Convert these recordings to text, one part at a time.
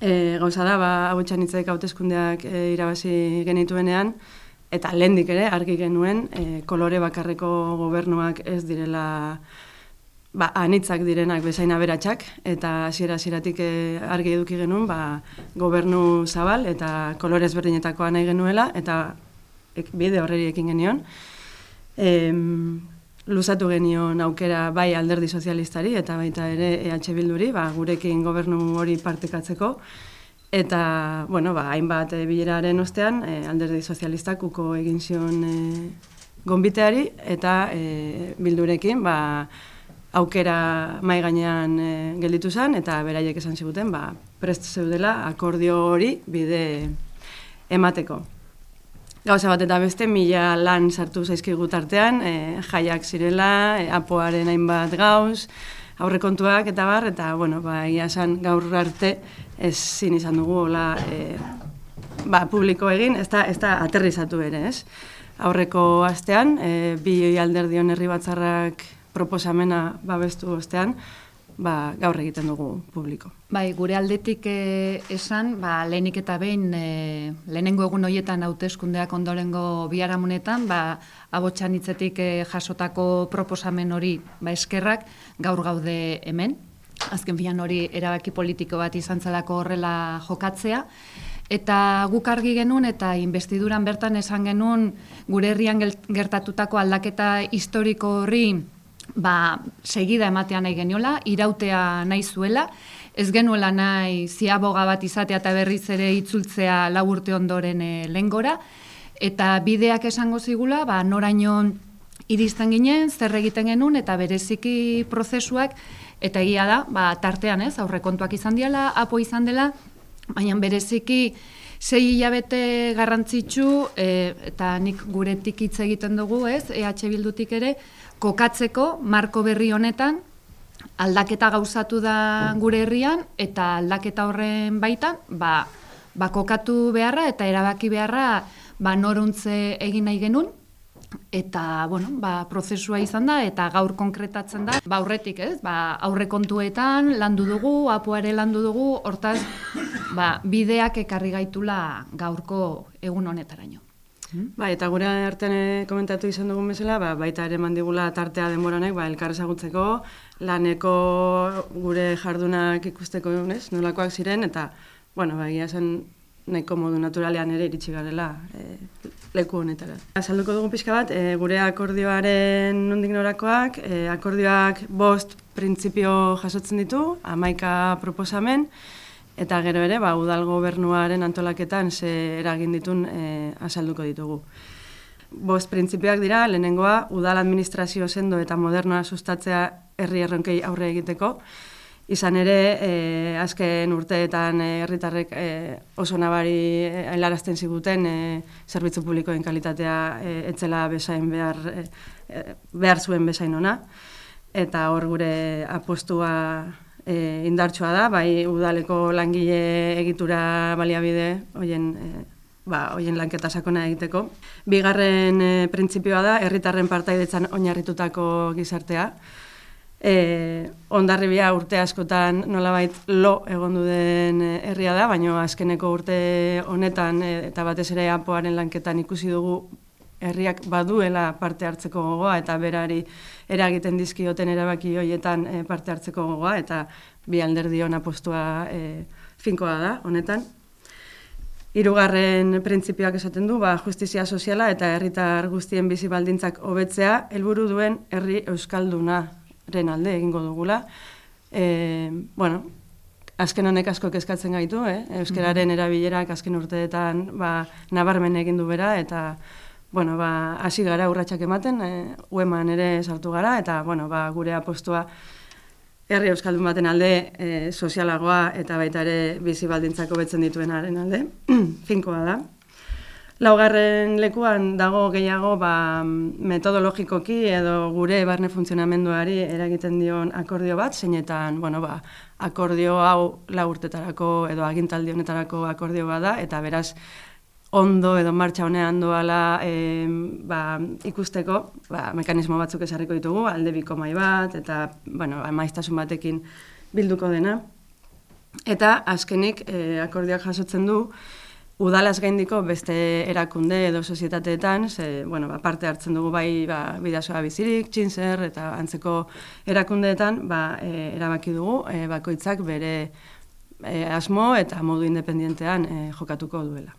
Gauza da, Abotxanitzek hauteskundeak irabazi genituenean, eta lehendik ere argi genuen kolore bakarreko gobernuak ez direla anitzak direnak bezain aberatsak, eta hasieratik argi eduki genuen gobernu zabal eta kolore ezberdinetakoa nahi genuela, eta bide horreri ekin genion. Luzatu genion aukera bai Alderdi Sozialistari eta baita ere EH Bilduri, gurekin gobernu hori partekatzeko. Eta, hainbat bileraren ostean, Alderdi Sozialistak uko egin zion gonbiteari, eta Bildurekin aukera mai gainean gelditu zen, eta beraiek esan ziguten prest zeudela akordio hori bide emateko. Gauza bat eta beste, 1000 lan sartu zaizkigu tartean, jaiak zirela, apoaren hainbat gauz, aurrekontuak eta bar, eta, egia esan gaur arte ezin izan dugu hola publiko egin, ez da aterrizatu ere, ez? Aurreko astean, bi alderdion herri batzarrak proposamena babestu ostean, gaur egiten dugu publiko. Bai, gure aldetik esan, lehenik eta behin, lehenengo egun horietan hauteskundeak ondorengo biharamunetan, Abotxanitzetik jasotako proposamen hori eskerrak gaur gaude hemen. Azken filan hori erabaki politiko bat izan zelako horrela jokatzea. Eta guk argi genuen eta investiduran bertan esan genuen gure herrian gertatutako aldaketa historiko horri segida ematea nahi geniola, irautea nahi zuela, ez genuela nahi ziaboga bat izatea eta berriz ere itzultzea 4 urte ondoren lehengora, eta bideak esango zigula, noraino iristen ginen, zer egiten genuen, eta bereziki prozesuak, eta egia da, tartean aurrekontuak izan diala, apo izan dela, baina bereziki 6 hilabete garrantzitsu, eta nik guretik hitz egiten dugu, EH Bildutik ere, kokatzeko marko berri honetan, aldaketa gauzatu da gure herrian, eta aldaketa horren baitan, kokatu beharra eta erabaki beharra noruntze egin nahi genuen, eta, prozesua izan da, eta gaur konkretatzen da, aurretik, aurrekontuetan landu dugu, apoare landu dugu, hortaz, bideak ekarri gaitula gaurko egun honetaraino. Eta gure artean komentatu izan dugun bezala, baita ere mandigula tartea denboranek, elkar ezagutzeko, laneko gure jardunak ikusteko nolakoak ziren, eta, egia zen nahiko modu naturalean ere iritsi garela leku honetara. Azalduko dugu pixka bat, gure akordioaren nondik norakoak, akordioak 5 printzipio jasotzen ditu, 11 proposamen, eta gero ere, udal gobernuaren antolaketan ze eragin ditun azalduko ditugu. 5 printzipioak dira, lehenengoa, udal administrazio sendo eta modernoa sustatzea herri erronkei aurre egiteko. Izan ere, azken urteetan herritarrek oso nabari helarazten ziguten zerbitzu publikoen kalitatea etzela bezain behar zuen bezain ona. Eta hor gure apostua indartsua da, bai udaleko langile egitura baliabide hoien lanketa sakona egiteko. Bigarren printzipioa da, herritarren partaidetzan oinarritutako gizartea. Hondarribia urte askotan nolabait lo egondu den herria da, baina azkeneko urte honetan eta batez ere apoaren lanketan ikusi dugu herriak baduela parte hartzeko gogoa eta berari eragiten dizkioten erabaki horietan parte hartzeko gogoa, eta bi alderdion apostua finkoa da honetan. Hirugarren printzipioak esaten du, justizia soziala eta herritar guztien bizi baldintzak hobetzea helburu duen herri euskaldunaren alde egingo dugula. Azken honek asko kezkatzen gaitu, euskararen erabilerak azken urteetan nabarmen egin du bera, eta hasi gara urratsak ematen, ueman ere sartu gara, eta gure apostua herri euskaldun baten alde sozialagoa eta baita ere bizi baldintzak hobetzen dituenaren alde, finkoa da. Laugarren lekuan dago gehiago metodologikoki edo gure barne funtzionamenduari eragiten dion akordio bat, zeinetan akordio hau 4 urtetarako edo agintaldi honetarako akordio bat da, eta beraz ondo edo martxa honean doala ikusteko mekanismo batzuk ezarriko ditugu, aldebiko mahai bat, eta maiztasun batekin bilduko dena. Eta azkenik akordioak jasotzen du, udalaz gaindiko beste erakunde edo sozietateetan, parte hartzen dugu bai Bidasoa bizirik, Txintzer eta antzeko erakundeetan erabaki dugu bakoitzak bere asmo eta modu independentean jokatuko duela.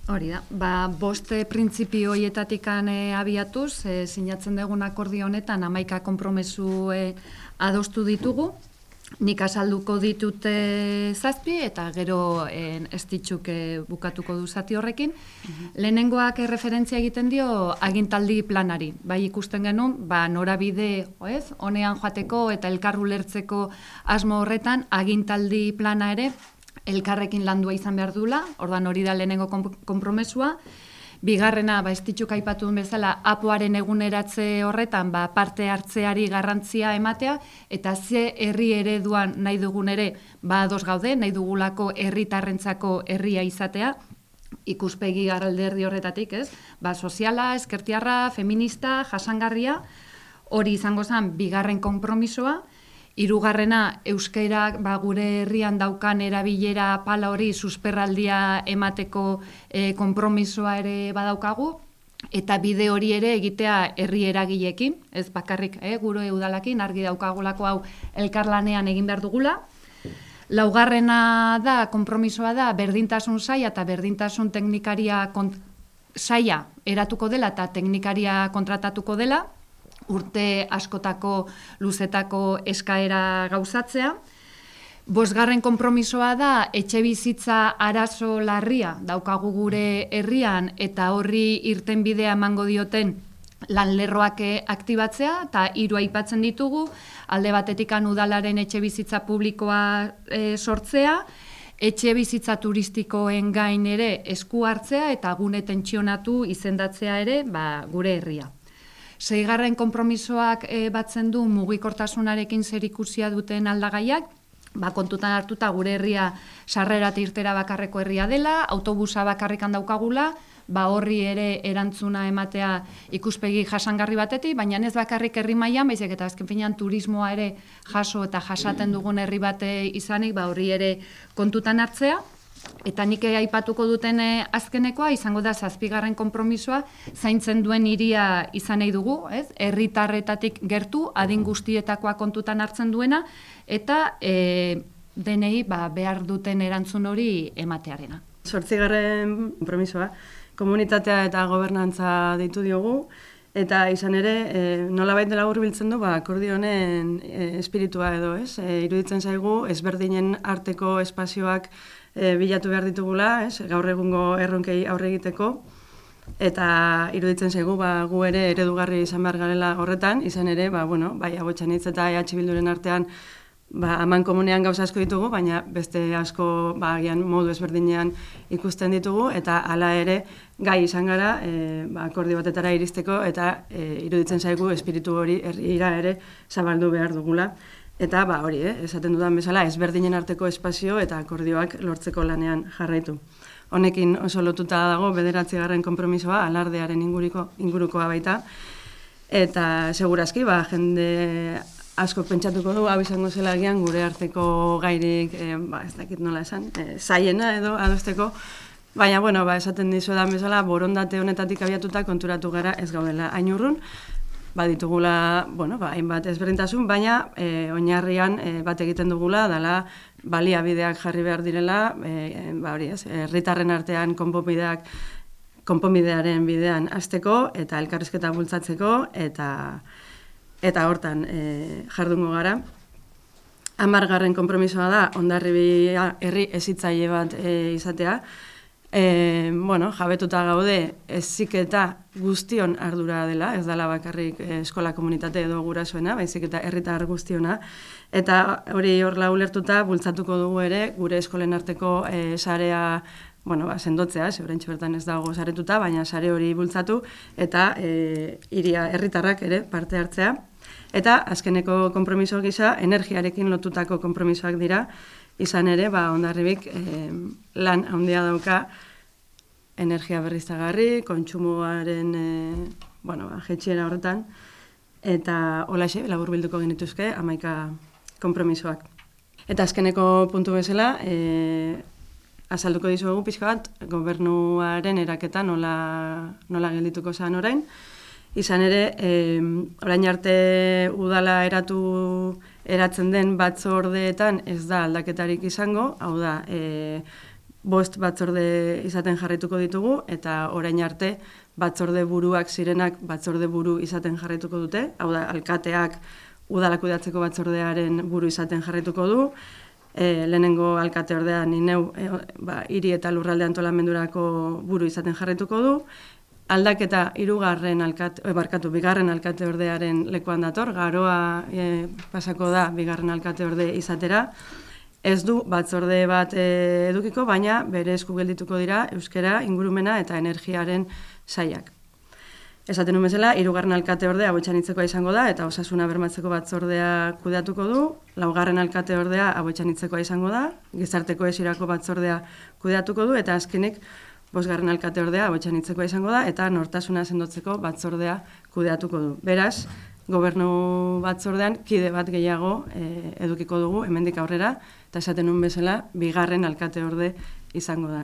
Hori da, bost printzipio horietatik abiatuz, sinatzen dugun akordio honetan 11 konpromesu adostu ditugu. Nik azalduko ditut 7 eta gero ez ditxuk bukatuko du zati horrekin. Lehenengoak referentzia egiten dio agintaldi planari. Bai ikusten genuen, norabide honean joateko eta elkar ulertzeko asmo horretan agintaldi plana ere elkarrekin landua izan behar duela, ordan hori da lehenengo konpromesua. Bigarrena, ez ditxuk aipatu duen bezala, apoaren eguneratze horretan parte hartzeari garrantzia ematea, eta ze herri ereduan nahi dugun ere, ados gaude, nahi dugulako herritarrentzako herria izatea, ikuspegi alderdi horretatik, ez? Soziala, ezkertiarra, feminista, jasangarria, hori izango zen bigarren konpromisoa. Hirugarrena, euskara gure herrian daukan erabilera pala hori susperraldia emateko konpromisoa ere badaukagu, eta bide hori ere egitea herri eragileekin, ez bakarrik gure udalakin, argi daukagulako hau elkarlanean egin behar dugula. Laugarrena da, konpromisoa da, berdintasun saila eta berdintasun teknikaria saila eratuko dela eta teknikaria kontratatuko dela, urte askotako luzetako eskaera gauzatzea. Bosgarren konpromisoa da, etxe bizitza arazo larria daukagu gure herrian eta horri irten bidea emango dioten lanlerroak aktibatzea, eta 3 aipatzen ditugu, alde batetik udalaren etxe bizitza publikoa sortzea, etxe bizitza turistikoen gain ere esku hartzea eta gune tentsionatu izendatzea ere gure herria. 6. konpromisoak batzen du mugikortasunarekin zerikusia duten aldagaiak, kontutan hartuta gure herria sarrera eta irtera bakarreko herria dela, autobusa bakarrikan daukagula, horri ere erantzuna ematea ikuspegi jasangarri batetik, baina ez bakarrik herri mailan, baizik eta azken finean turismoa ere jaso eta jasaten dugun herri bate izanik, horri ere kontutan hartzea. Eta nik aipatuko duten azkenekoa izango da 7. konpromisoa, zaintzen duen hiria izan nahi dugu, herritarretatik gertu, adin guztietakoa kontutan hartzen duena, eta denei behar duten erantzun hori ematearena. 8. konpromisoa, komunitatea eta gobernantza deitu diogu, eta izan ere, nolabait dela hurbiltzen du, akordio honen espiritua edo, iruditzen zaigu, ezberdinen arteko espazioak bilatu behar ditugula, gaur egungo erronkei aurre egiteko, eta iruditzen zaigu gu ere eredugarri izan behar garela horretan, izan ere, bai Abotxanitz eta EH Bilduren artean aman komunean gauza asko ditugu, baina beste asko agian modu ezberdinean ikusten ditugu, eta hala ere gai izan gara akordio batetara iristeko, eta iruditzen zaigu espiritu hori herrira ere zabaldu behar dugula. Eta hori, esaten dudan bezala, ezberdinen arteko espazio eta akordioak lortzeko lanean jarraitu. Honekin oso lotuta dago 9. konpromisoa, alardearen ingurukoa baita. Eta segurazki, jende asko pentsatuko du, hau izango zela agian gure arteko gairik, ez dakit nola esan, zaiena edo adosteko. Baina, esaten dizuedan bezala, borondate honetatik abiatuta konturatu gara ez gaudela hain urrun. Baditugula, hainbat ezberdintasun, baina oinarrian bat egiten dugula, dela baliabideak jarri behar direla, herritarren artean konponbidearen bidean hasteko eta elkarrizketa bultzatzeko, eta hortan jardungo gara. 10. konpromisoa da, Hondarribia herri hezitzaile bat izatea. Jabetuta gaude heziketa guztion ardura dela, ez dela bakarrik eskola komunitate edo gurasoena, baizik eta herritar guztiona, eta hori horla ulertuta bultzatuko dugu ere gure eskolen arteko sarea sendotzea, oraintxe bertan ez dago saretuta, baina sare hori bultzatu eta herritarrak ere parte hartzea. Eta azkeneko konpromiso gisa energiarekin lotutako konpromisoak dira, izan ere, Hondarribik lan handia dauka energia berriztagarri, kontsumoaren jaitsiera horretan, eta holaxe laburbilduko genituzke 11 konpromisoak. Eta azkeneko puntu bezala, azalduko dizuegu pixka bat, gobernuaren eraketa nola geldituko zen orain. Izan ere, orain arte udala eratzen den batzordeetan ez da aldaketarik izango, hau da, 5 batzorde izaten jarraituko ditugu, eta orain arte batzorde buruak zirenak batzorde buru izaten jarraituko dute, hau da, alkateak udala kudeatzeko batzordearen buru izaten jarraituko du, lehenengo alkate ordea ni neu hiri eta lurralde antolamendurako buru izaten jarraituko du, aldaketa bigarren alkate ordearen lekuan dator, Garoa pasako da bigarren alkate orde izatera, ez du batzorde bat edukiko, baina bere esku geldituko dira euskara, ingurumena eta energiaren sailak. Esaten nuen bezala, 3. alkate ordea Aboitxanitzekoa izango da, eta osasuna bermatzeko batzordea kudeatuko du, 4. alkate ordea Aboitxanitzekoa izango da, gizarte kohesiorako batzordea kudeatuko du, eta azkenik 5. alkate ordea Aboitxanitzekoa izango da, eta nortasuna sendotzeko batzordea kudeatuko du. Beraz, gobernu batzordean kide bat gehiago edukiko dugu hemendik aurrera, eta esaten nuen bezala, 2. alkate orde izango da.